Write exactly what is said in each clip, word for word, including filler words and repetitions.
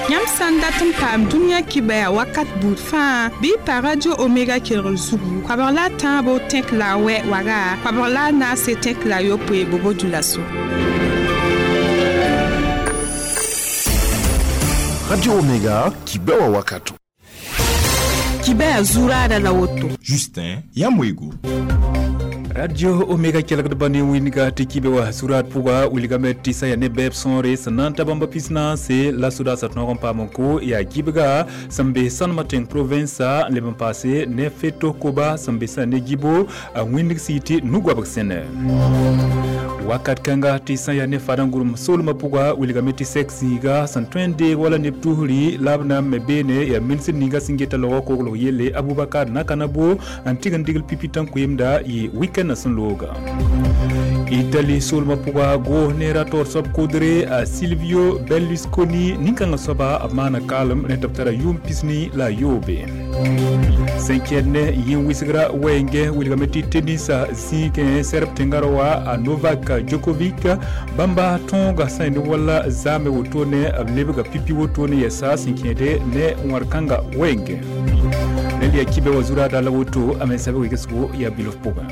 Yãmb sã n dat n paam dũniyã kibɛa wakat buud fãa bɩ y pa Radio Omega kelgr zugu koabg la a tãabo tẽk la a wɛ waga koabg la a naase tẽk la a yopoe bobo dulaso. Radio Omega kibɛwa wakato. Kibɛa zuraada la woto. Justin Yamwego. Radio Omega kelgd bani winga tɩ kibe wa surat pʋga wilgame tɩ sã yaa ne bɛɛb sõore sẽn na n ta bãmba pis-naase la sodaasã tõog n paam n ko yaa gibga sẽn be sãnemã tẽng provinsa n leb n paase ne feto koba sẽn be sã ne gibo a wĩndg sɩ tɩ nu-goabg sẽne wakat kãnga tɩ sã yaa ne fadã-gʋrem soolmã pʋga wilgame tɩ sɛk zĩiga sẽn tõe n deeg wala neb tusri la b na n me beene yaa minisr ninga sẽn geta logɔ koglg yelle Abubakar Nakanabo n tɩg n digl pipitã koeemda yɩ weekend sẽn looga Italy soolmã pʋga goos ne ra-taoor soab kodre a Silvio Berlusconi nin-kãngã soaba b maana kaalem rẽ tɩ b tara yʋʋm pisni la a yoobe sẽn kẽed ne yĩn-wɩsgra wɛɛngẽ wilgame tɩ tenisa zĩigẽ sɛrb tẽngã ra wa a Novak Djokovic bãmba tõoga sã ne wala zaame wotone b lebga pipi wotone yɛsa sẽn kẽede ne wãr-kãnga wɛɛngẽ rẽnd yaa kibe wa zuraada la woto a mensa b wegesgo yaa bilf pʋgẽ.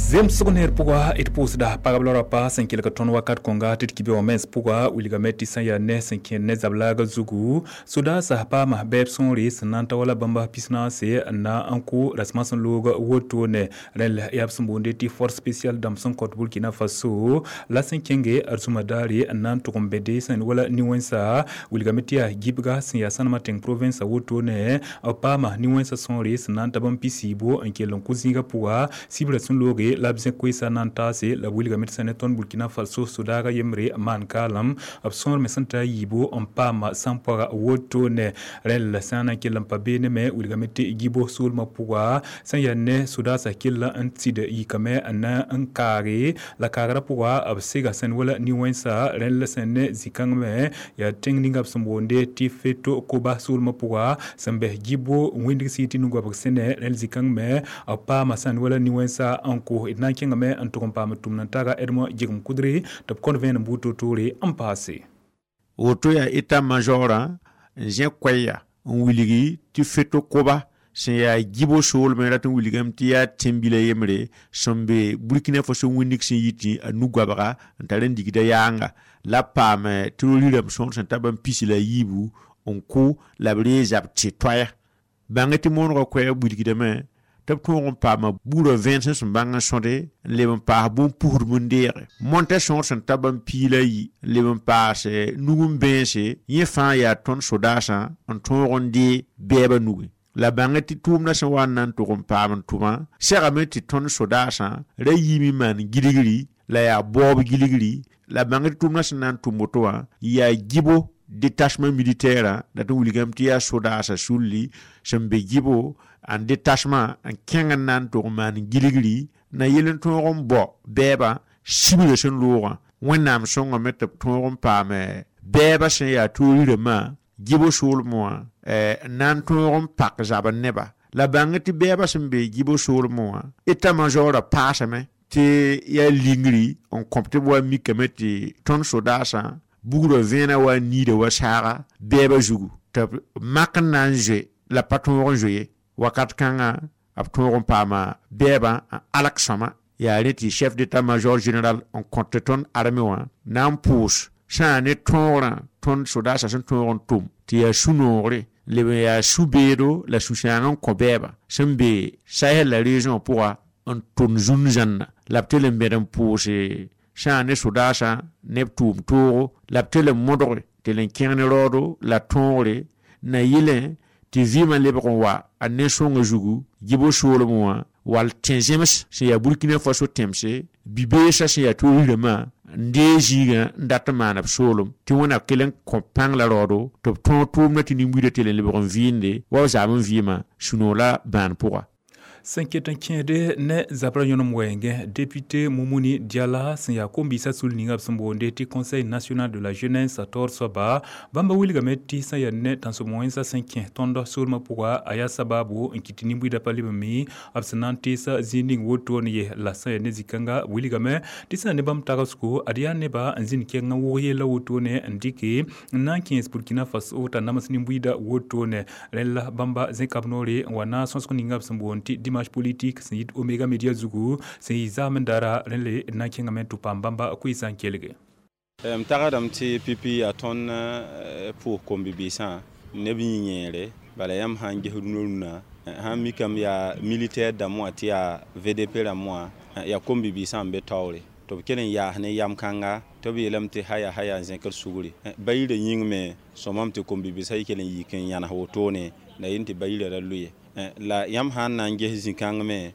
Zemsg neer pʋga d pʋʋsda pagb la rapa sẽn kelg tõnd wakat kõnga tɩ d kibe wã mens pʋga wilgame tɩ sã yaa ne sẽn kẽed ne zablaaga zugu sodaasã paama bɛɛb sõore sẽn na n ta wala bãmba pis-naase n na n kʋ rasmã sẽn loog wotone rẽnd yaa b sẽn boonde tɩ force spéciale dãmb sẽn kõt Burkina Faso la sẽn kẽnge arzũma daare n na n tʋg n bẽde sẽn wala nin-wẽnsa wilgame tɩ yaa gibga sẽn yaa sãnemã tẽng province wotone b paama nin-wẽnsã sõore sẽn na n ta bãmb pis-yiibo n kell n kʋ zĩigã pʋga sibra sẽn looge la b zẽ koeesã na n taase la b wilgame tɩ sã ne tõnd Burkina Faso sodaaga yembre maan kaalem b sõor me sẽn ta a yiibo n paama sãn-poaga wotone rẽnd la sã n na n kell n pa beene me wilgame tɩ gibo soolmã pʋga sẽn yaa ne sodaasã kell n tɩd yikame n na n kaage la kaagrã pʋga b sega sẽn wala nin-wẽnsa rẽnd la sẽn ne zĩ-kãng me yaa tẽng ninga b sẽn boonde tɩ feto koba soolmã pʋga sẽn bɛs gibo wĩndg sɩ tɩ nu-goabg sẽne rẽnd zĩ-kãng me b paama sẽn wala nin-wẽnsa n kos d na n kẽngame n tʋg n paam tʋmd n taga Edmond Jegem Kudre tɩ b kõt vẽenem buud toor-toore n paase. Woto yaa état-major n zẽ koɛɛya n wilgi tɩ feto koba sẽn yaa gibo soolmẽ rat n wilgame tɩ yaa tẽn-bila yembre sẽn be Burkina Faso wĩndg sẽn yi tɩ a nu-goabga n tar n digda yaanga la b paam terrorirame sõor sẽn ta bãmb pis la a yiibu n kʋ la b ree zab tɩ toaya bãng tɩ moonegã koɛɛg wilgdame tɩ b tõog n paama buudã vẽensem sẽn bãng n sõde n leb n paas bũn-pusdb n deege monta sõor sẽn ta bãmb piig la yi n leb n paas nug n bẽense yẽ fãa yaa tõnd sodaasã n tõog n dee bɛɛbã nugẽ la bãng tɩ tʋʋmdã sẽn wa n na n tʋg n paam n tʋmã segame tɩ tõnd sodaasã ra yiime n maan gilgri la yaa baoob gilgri la bãng tɩ tʋʋmdã sẽn na n tʋm woto wã yaa gibo détachement militaire la tɩ wilgame tɩ yaa sodaasã sulli sẽn be gibo en détachement n kẽng n na n tʋg n maan gilgri na yel n tõog n bao bɛɛbã sibra sẽn loogã wẽnnaam sõngame tɩ b tõog n paam bɛɛbã sẽn yaa toor-rãmbã gibo soolmẽ wã n na n tõog n pak zabr neba la bãng tɩ bɛɛbã sẽn be gibo soolmẽ wã état-major paasame tɩ yaa lingri n kõp tɩ b wa mikame tɩ tõnd sodaasã bugrã vẽenã wa niida wa saaga bɛɛbã zugu tɩ b mak n na n zoe la pa tõog n zoe ye wakat kãngã b tõog n paama bɛɛbã n alk sõma yaa rẽ tɩ chef d'état-major général n kõt tɩ tõnd armẽ wã na n pʋʋs sã ne tõogrã tõnd sodaasã sẽn tõog n tʋm tɩ yaa sũ-noogre leb n yaa sũ-beedo la sũ-sãang n kõ bɛɛbã sẽn be Sahel la région pʋga n tʋm zũn-zãnna la b tɩ n bẽd n pʋʋse sã ne sodaasã ne b tʋʋm toogo la b tɩ n modge tɩ n kẽng ne raoodo la tõogre na yɩlẽ tɩ vɩɩmã lebg n wa a ne-sõngã zugu gibo soolmẽ wã wall tẽ-zems sẽn yaa Burkina Faso tẽmse bi-beesã sẽn yaa toor-rãmbã n dee zĩigã n dat n maan b soolem tɩ wẽna kell n kõ pãng la raoodo tɩ b tõog tʋʋmdã tɩ nin-buidã tɩ l n lebg n vɩɩnde wa b zaam n vɩɩmã sũ-noog la bãan pʋga. Sẽn ket n kẽede ne zabra yõnem wɛɛngẽ député Mumuni Diala sẽn yaa kom-biisã sul ninga b sẽn boonde tɩ Conseil national de la jeunesse taoor soaba bãmba wilgame tɩ sẽn yaa ne tãnsem wẽnsã sẽn kẽ tõnd soolmã pʋga a yaa sababu n kɩt tɩ nin-buiidã pa leb n mi b sẽn na n teesa zĩig ning wotone ye la sẽn yaa ne zĩ-kãnga wilgame tɩ sẽn yaa ne bãmb tagsgo ad yaa neba n zĩnd kẽng n wʋg yella wotone n dɩke n na n kẽes Burkina Faso t'a nams nin-buiidã wotone rẽn la bãmba zẽkab noore n wa na sõsg ninga b sẽn boond tɩ dimanche politique sẽn yit Omega Media zugu sẽn yɩ zaam n dara rẽn le na n kẽngame tɩ paam bãmba koeesã n kelge. M tagsdame tɩ pipi yaa tõnd pʋʋs kom-bibiisã neb yĩ-yẽere bala yãmb sã n ges rũnã rũnã sãn mikame yaa militaire dãmb wã tɩ yaa V D P rãmb wã yaa kom-bibiisã n be taoore tɩ b kell n yaas ne yam kãnga tɩ b yeelame tɩ haya haya n zẽkd sugri ba yirã yĩng me sõmame tɩ kom-bibiisã yik kell n yik n yãnes wotone la yẽ tɩ ba yirã ra lʋɩ la yãmb sã n na n ges zĩ-kãng me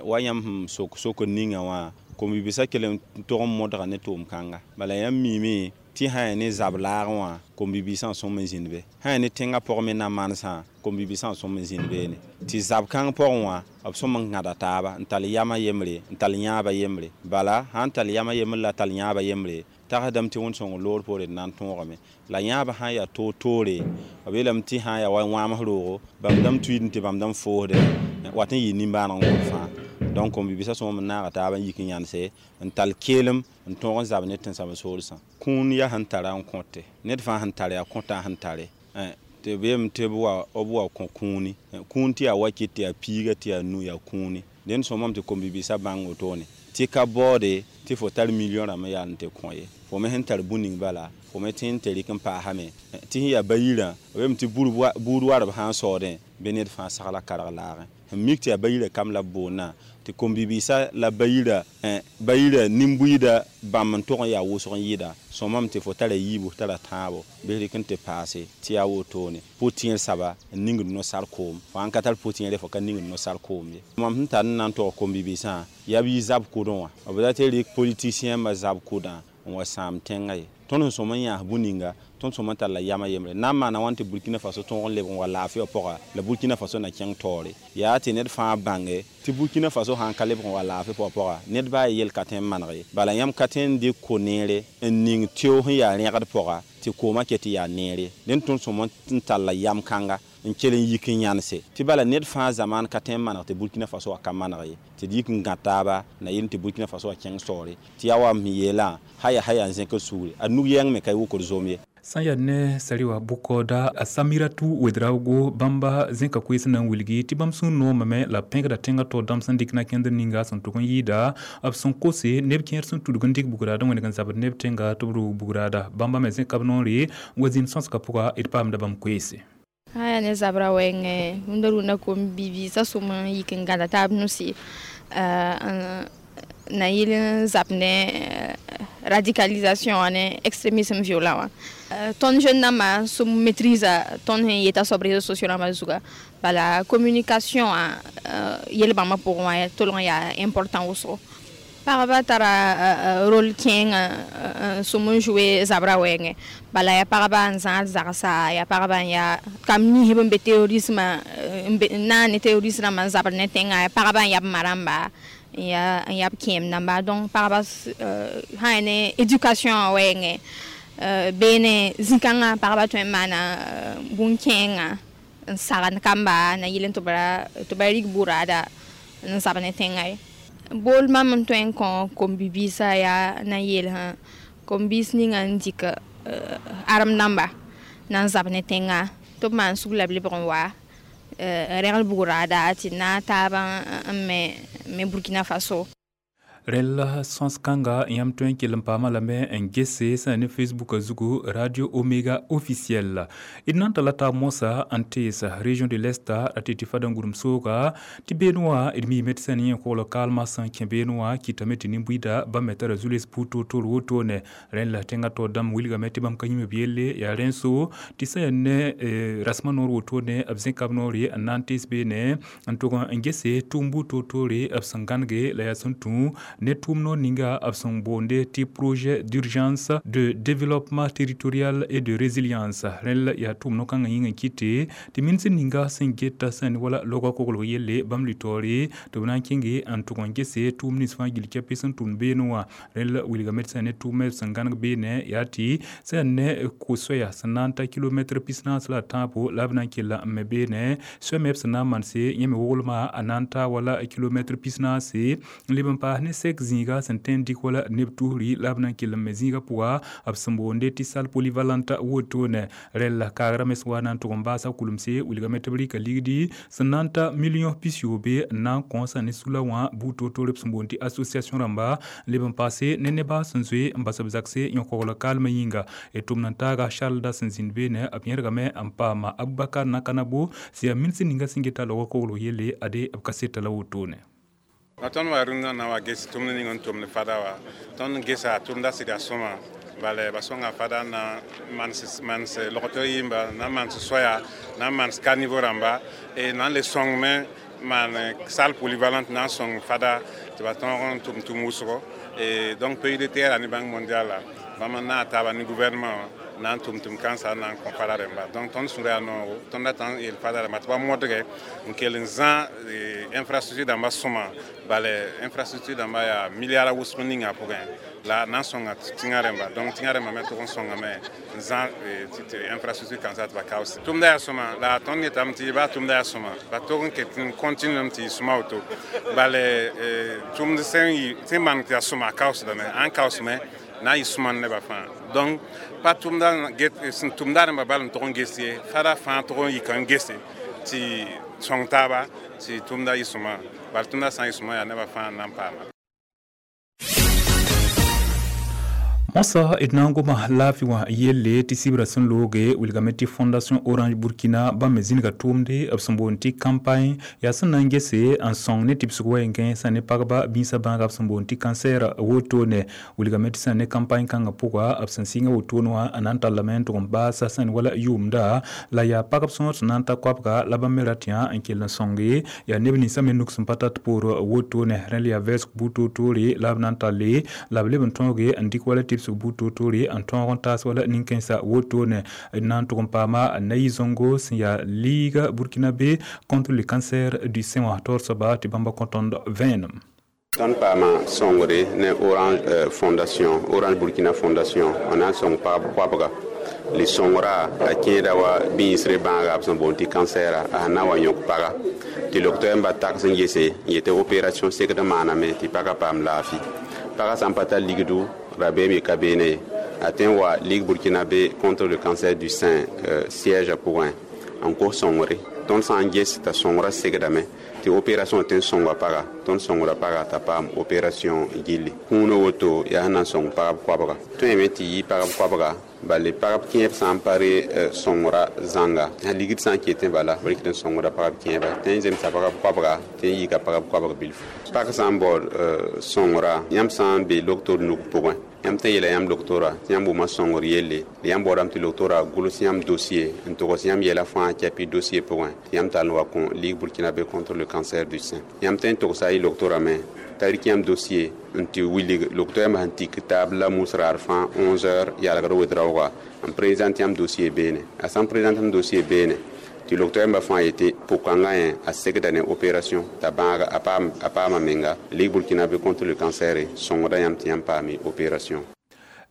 wa yãmb sẽn sok sokr ninga wã kom-bibiisã kell n tog n modga ne tʋʋm-kãnga bala yãmb miime tɩ sã yaa ne zab laagẽ wã kom-bibiisã sõm n zĩnd be sã yaa ne tẽngã pʋgẽ me na manesã kom-bibiisã sõm n zĩnd beene tɩ zab kãng pʋgẽ wã b sõm n gãda taaba n tall yamã yembre n tall yãabã yembre bala sã n tall yamã yembr la tall yãabã yembre tagsdame tɩ wẽnd-sõng loor poore d na n tõogame la yãabã sã n yaa toor-toore b yeelame tɩ sã n yaa wa wãams roogo bãmb dãmb tuiidẽ tɩ bãmb dãmb foosde wat n yɩ nimbãaneg n gom fãa donc kom-bibiisã sõm n naaga taaba n yik n yãnese n tall keelem n tõog n zab ne tẽnsam soolsã kũun yaa sẽn tara n kõte ned fãa sẽn tare yaa kõta sẽn tare tɩ b yeelame tɩ b wa b wa kõ kũuni kũun tɩ yaa wakɩt tɩ yaa piiga tɩ yaa nu yaa kũuni dẽnd sõmame tɩ kom-bibiisã bãng wotone tɩ ka baoode tɩ fo tar million rãmb n yaa n tɩ kõ ye fo me sẽn tar bũn ning bala fo me tẽ n tɩ rɩk n paasame tɩ sẽn yaa ba-yirã b yeelame tɩ buud warb sã n saoodẽ bɩ ned fãa sagla karg laagẽ sẽn mik tɩ yaa ba-yirã kam la b boondã tɩ kom-bibiisã la ba-yirã ba-yirã nin-buiidã bãmb n tog n yaa wʋsg n yɩda sõmame tɩ fo tara yiibu tara tãabo bɩ rɩk n tɩ paase tɩ yaa wotone pʋ-tẽer saba n ningd no-sar koom fo sãn ka tar pʋ-tẽere fo ka ningd no-sar koom ye mam sẽn tar n na n tog kom-bibiisã yaa b yɩ zab kʋdẽ wã b ra tɩ rɩk politicien ma zab kʋdã n wa sãam tẽngã ye tõnd sẽn sõm n yãas bũn-ninga tõnd sõm n tar la yamã yembre na n maana wãn tɩ Burkina Faso tõog n lebg n wa laafɩ wã pʋga la Burkina Faso na kẽng taoore yaa tɩ ned fãa bãnge tɩ Burkina Faso sã n ka lebg n wa laafɩ pʋgã pʋga ned baa yel ka tõe n maneg ye bala yãmb ka tõe n dɩk ko-neere n ning teo sẽn yaa rẽgd pʋga tɩ koomã ket tɩ yaa neere dẽnd tõnd sõm n tall la yam kãnga n kell n yik n yãnese tɩ bala ned fãa zamaan ka tõe n maneg tɩ Burkina Faso wã ka maneg ye tɩ d yik n gã taaba na yel tɩ Burkina Faso wã kẽng saoore tɩ yaa wa m yeelã haya haya n zẽkd sugri a nug yɛng me ka y wʋkd zom ye sã n yaa ne sariwa bʋkaooda a Samiratu Wedraogo bãmba zẽka koees na n wilgi tɩ bãmb sũur noomame la b pẽgda tẽngã taoor dãmb sẽn dɩk na kẽndr ninga sẽn tʋg n yɩɩda b sẽn kose neb kẽer sẽn tudg n dɩk bugraad n wẽneg n zabd neb tẽnga tɩ b rʋʋg bugraada bãmba me zẽka b noore n wa zĩnd sõsgã pʋga d paamda bãmb koeese. Sã yaa ne zabra wɛɛngẽ rũndã rũndã kom-bibiisã sõm n yik n gãda taab nusi na yɩl n zab ne radicalisation wã ne extrémisme violent wã tõnd jeune dãmbã sõm maîtrise tõnd sẽn yeta soab réseaux sociaux rãmbã zuga bala communication wã yel bãmbã pʋgẽ wã tolg n yaa important wʋsgo pagba tara rôle kẽengã sõm n jouer zabra wɛɛngẽ bala yaa pagba n zãad zagsa yaa pagba n yaa kam ninsb n be terrorisme n na ne terroriste rãmbã n zabd ne tẽngã yaa pagba n yaa b ma rãmba n yaa n yaa b kẽem dãmba donc pagba sã yaa ne éducation wã wɛɛngẽ beene zĩ-kãngã pagba tõe n maana bũn-kẽengã n sagend kamba na yɩl tɩ b ra tɩ ba rig buraada n zab ne tẽngã ye bool mam n tõe n kõ kom-bibiisã yaa na n yeelsã kom-biis ninga n dɩk arem dãmba na n zab ne tẽngã tɩ b maan sug la b lebg n wa n rẽgl bugraada tɩ na taabã n me me Burkina Faso. Rẽl sõs kãnga yãmb tõe n kell n paamã lame n gese sẽn ne Facebook zugu Radio Omega officiel d na n talla taab moasã n teesa région de l'Est ra tɩ tɩ fada n gʋrem sooga tɩ beene wã d miime tɩ sẽn yẽ kogl kaalmã sẽn kẽ beene wã kɩtame tɩ nin-buiida bãmb me tara zu-les pʋʋg toor-toor wotone rẽn la tẽngã taoor dãmb wilgame tɩ bãmb ka yĩm b yelle yaa rẽn so tɩ sẽn yaa ne rasmã noor wotone b zẽka b noore n na n tees beene n tʋg n gese tʋʋm buud toor-toore b sẽn gãnege la yaa sẽn tũ ne tʋʋm noor ninga b sẽn boonde tɩ projet d'urgence de développement territorial et de résilience. Rẽl yaa tʋʋm no-kãngã yĩng n kɩte tɩ minsd ninga sẽn geta sẽn wala loga koglg yelle bãmb litoore tɩ b na n kẽnge n tʋg n gese tʋʋm nins fãa gill kɛpɩ sẽn tʋmd beene wã. Rẽl wilgame tɩ sẽn ne tʋʋmɛ sẽn gãneg beene yaa tɩ sẽn ne ko-soɛya sẽn na n ta kilomɛtr pis-naas la a tãabo la b na n kella n me beene soɛ me b sẽn na n manse yẽ me woglma a na n ta wala kilomɛtr pis-naase n leb n paas ne sɛk zĩiga sẽn tõe n dɩk wala neb tusri la b na n kell n me zĩiga pʋga b sẽn boonde tɩ salle polyvalente wotone. Rẽl kaagrã me sẽn wa na n tʋg n baasa kulemse wilgame tɩ b rɩka ligdi sẽn na n ta million pis-yoobe n na n kõosa ne sula wã buud toor-toor b sẽn boond tɩ association rãmba leb n paase ne neba sẽn zoe n bas b zakse yõ-kogl kaalmã yĩnga. D tʋmd n taaga Charles da sẽn zĩnd beene b yẽrgame n paama Abubakar Nakanabo sẽn yaa minsd ninga sẽn geta log koglg yelle ade b kaseta la wotone. Tõnd wa rũndã na wa ges tʋmd ning n tʋmd fada wa tõnd gesa tʋmda sɩda sõma bala ba sõnga fada na mans mans logto yĩmba na mans soya na mans caniveau rãmba e na n le sõngme maan salle polyvalente na n sõng fada tɩ ba tõog n tʋm tʋm wʋsgo. E donc pays de terre ne Banque mondiale bãmb n na taaba ne gouvernement na n tʋm tʋm kãnsa na n kõ fada rẽmba. Donc tõnd sũur yaa noogo tõnd dat n yeel fada rãmba tɩ ba modge n kell n zã infrastructure dãmba sõma bala infrastructure dãmba yaa milliard wʋsg ninga pʋgẽ la na n sõnga tẽngã rẽmba. Donc tẽngã rẽmba me tʋg n sõngame n zã tɩ infrastructure kãnsã tɩ ba kaoose. Tʋmda yaa sõma la tõnd yetame tɩ baa tʋmda yaa sõma ba tog n ket n continuame tɩ yɩ sõma woto bala tʋmd sẽn sẽn maan tɩ yaa sõma a kaoosdame ãn kaoosme na n yɩ sõma nebã fãa. Donc pa tʋmda get sẽn tʋmda rẽmba bal n tog n ges ye fada fãa tog n yika n gese tɩ sõng taaba tɩ tʋmda yɩ sõma bala tʋmda sã n yɩ sõma yaa nebã fãa n na n paama. Mosa d na n goma laafɩ wã yelle tɩ sɩbrã sẽn looge wilgame tɩ fondation Orange Burkina bãmb me zĩnga tʋʋmde b sẽn boond tɩ campagne yaa sẽn na n gese n sõng ne tɩbsg wɛɛngẽ sã ne pagba bĩnsã bãaga b sẽn boond tɩ cancer wotone. Wilgame tɩ sã ne campagne kãngã pʋga b sẽn sɩnga wotone wã n na n tallame n tʋg n baasa sẽn wala yʋʋmda la yaa pagb sõor sẽn na n ta koabga la bãmb me rat yã n kell n sõnge yaa neb ninsã me nuk sẽn pa tat poor wotone. Rẽl yaa vɛɛsg buud toor-toore la b na n talle la b leb n tõoge n dɩk wala tɩbsg buud toor-toore n tõog n taas wala nin-kãensã wotone. D na n tʋg n paama Nayi Zongo sẽn yaa Ligue burkinabé contre le cancer du sein wã taoor soaba tɩ bãmba kõ tõnd vẽenem. Tõnd paama sõngre ne Orange euh, Fondation, Orange Burkina Fondation, n na n sõng pagb koabga le sõngra a kẽeda wa bĩisre bãaga b sẽn boond tɩ kansɛra a sẽn na n wa yõk paga tɩ loktoɛɛmba ba taks n gese n yetɩ opération segd n maaname tɩ pagã paam laafɩ. Pagã sã n pa tar ligdu rabeem ye ka beene ye a tõe n wa Ligue burkinabé contre le cancer du sein euh, siège pʋgẽ n kos sõngre. Tõnd sã n ges t'a sõngrã segdame tɩ opération tõe n sõnga paga tõnd sõngra paga t'a paam opération gilli. Kũunã woto yaa sẽn na n sõng pagb koabga. Tõeme tɩ yɩ pagb koabga bala pagb kẽeb sã n pa re sõngra zãnga ligd sã n ketẽ bala b rɩkd n sõngra pagb kẽeba tõe n zemsa pagb koabga tɩ n yika pagb koabg bilfu. Pag sã n baood sõngra yãmb sã n be loktoor nug pʋgẽ yãmb tõe n yeela yãmb loktoora tɩ yãmb wʋma sõngr yelle yãmb baoodame tɩ loktoora gʋls yãmb dossier n togs yãmb yɛla fãa kɛpɩ dossier pʋgẽ tɩ yãmb tall n wa kõ Ligue burkinabé contre le cancer du sein. Yãmb tõe n togsa y loktoora me t'a rɩk yãmb dossier n tɩ wilg loktoɛɛmbã sẽn tik taab la mus raar fãa onze heures yalgr wed-raooga n présente yãmb dossier beene. A sã n présente yãmb dossier beene tɩ loktoɛɛmbã fãa yetɩ pʋkãngã yẽ a segda ne opération t'a bãaga a paama menga Ligue burkinabé contre le cancer sõngda yãmb tɩ yãmb paame opération.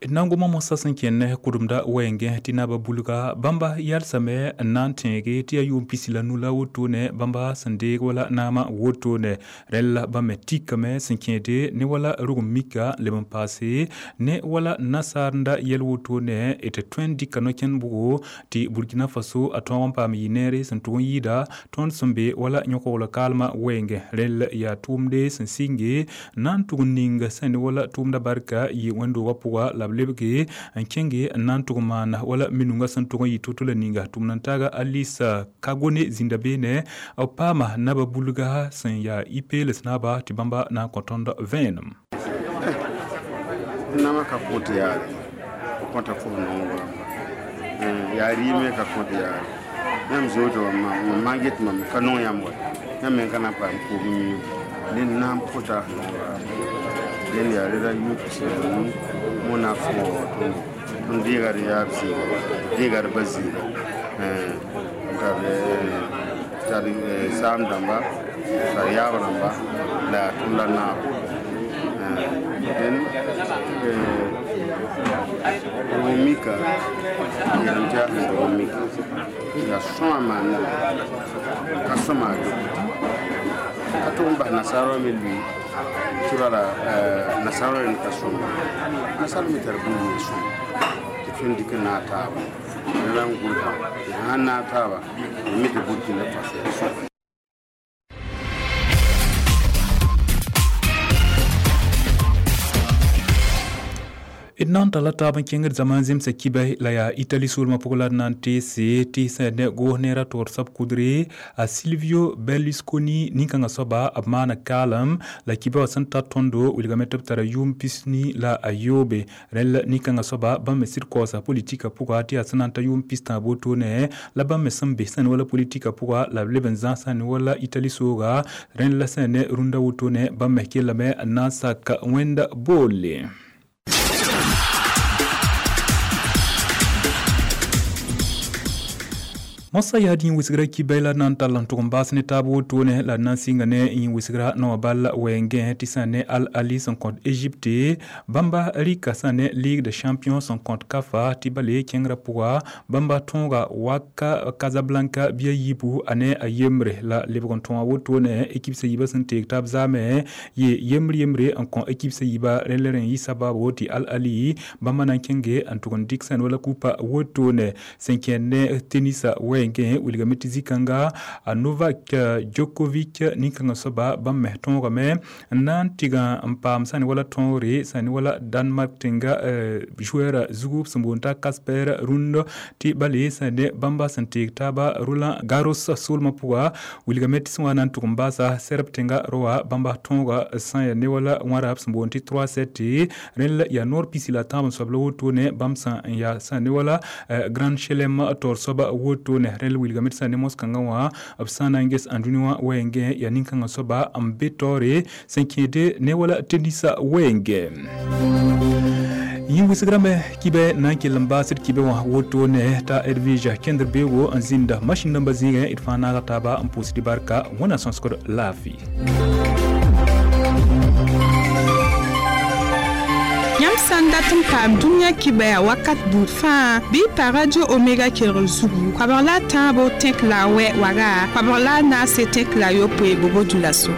D na n goma mosã sẽn kẽnd kʋdemda wɛɛngẽ tɩ naaba bulga bãmba yalsame n na n tẽege tɩ yaa yʋʋm pisi la nu la wotone bãmba sẽn deeg wala naamã wotone. Rẽl la bãmb me tikame sẽn kẽede ne wala rug n mika n leb n paase ne wala nasaarenda yɛl wotone d tõe n dɩka no-kẽnd bʋgo tɩ Burkina Faso a tõog n paam yɩ neere sẽn tʋg n yɩɩda tõnd sẽn be wala yõ-kogl kaalmã wɛɛngẽ. Rẽl yaa tʋʋmde sẽn sɩnge na n tʋg n ning sẽn ne wala tʋʋmda barka yɩ wẽnd-doogã pʋga la b lebge n kẽnge n na n tʋg n maana wala minunga sẽn tʋg n yɩ to-to la ninga. Tʋmd n taaga Alisa Kagone zĩnda beene b paama naba bulga sẽn yaa i-peels naaba tɩ bãmba na n kõ tõnd vẽenem. Nama ka kõt yaare kõta fo nongo yaa rɩɩme ka kõt yaare yãmb zoto mam maan get mam ka nong yãmb wa yãmb me ka na n paam koom yĩng ne naam kõta nongra. Dẽnd yaa rẽda yʋʋm pis la nu wẽnnaam sẽn wa wa tõndo tõnd deega d yaab zĩiga deega d ba zĩiga n tar tar saam dãmba tar yaab rãmba la yaa tõnd la naabo dẽn d mika yeelame tɩ yaa sẽn dog n mika yaa sõma maan ka sõma ka tʋg n bas nasaar wã me lʋɩ tɩ bala nasaar wã rẽnd ka sõma nasaar me tar bũmb n sõma tɩ tõnd dɩk n naag taaba la n gʋlsã sãn naag taaba me tɩ Burkina Faso yaa sõma. D na n talla taab n kẽngd zãma n zemsa kibɛ la yaa Itali soolmã pʋg la d na n teese tɩ sẽn ne goos neerã toor soab kudre a Silvio Berlusconi nin-kãngã soaba b maana kaalem la kibɛ wã sẽn ta tõndo wilgame tɩ b tara yʋʋm pisni la a yoobe rẽnd la nin-kãngã soaba bãmb me sɩd kaoosa politika pʋga tɩ yaa sẽn na n ta yʋʋm pistã wotone la bãmb me sẽn be sẽn wala politika pʋga la b leb n zãs sẽn wala Itali sooga rẽnd la sẽn ne rũndã wotone bãmb me kellame n na n sak wẽnda boole. Mosa yaa dĩn wɩsgra kibɛ la na n tall n tʋg n baas ne taab wotone la d na n sɩnga ne yẽ wɩsgra naowã bal wɛɛngẽ tɩ sã ne Al Ali sẽn kõt Egypte bãmba rɩka sã ne Ligue des champions sẽn kõt Kafa tɩ bale kẽngrã pʋga bãmba tõoga waka Casablanca bɩa yiibu a ne a yembre la lebg n tõa wotone ekip sã yiibã sẽn teeg taab zaame yɩ yembr yembre n kõ ekip sã yiibã rẽnd la rẽ yɩ sabaabo tɩ Al Ali bãmba na n kẽnge n tʋg n dɩk sẽn wala kupa wotone sẽn kẽnd ne tenisa wɛɛngẽ wilgame tɩ zĩ-kãnga a Novak Djokovic nin-kãngã soaba bãmb me tõogame n na n tɩg n paam sã ne wala tõogre sã ne wala Danmark tẽnga joueur zugu sẽn boond t'a Casper Ruud tɩ bale sã ne bãmba sẽn teeg taaba Roland Garros soolmã pʋga wilgame tɩ sẽn wa na n tʋg n baasa Serb tẽnga roa bãmba tõoga sã ya ne wala wãrab sẽn boond tɩ trois sept rẽnd la yaa noor pisi la tãab n soab la wotone bãmb sã n yaa sã ne wala Grand Chelem taoor soaba wotone rẽnd wilgame tɩ sã ne mos-kãngã wã b sã na n ges ãndũnĩ wã wɛɛngẽ yaa nin-kãngã soaba n be taoore sẽn kẽede ne wala tenisa wɛɛngẽ. Yẽ wɩsgrame kibɛ na n kell n baasd kibɛ wã wotone t'a Edwige kẽndr beoogo n zĩnda masĩn dãmbã zĩigẽ d fãa naaga taaba n pʋʋsd barka wẽnnaam sõsgd laafɩ. Yãmb sã n dat n paam dũniyã kibɛa wakat buud fãa bɩ y pa Radio Omega kelgr zugu koabg la a tãabo tẽk la a wɛ waga koabg la a naase tẽk la a yopoe bobo dũlaso.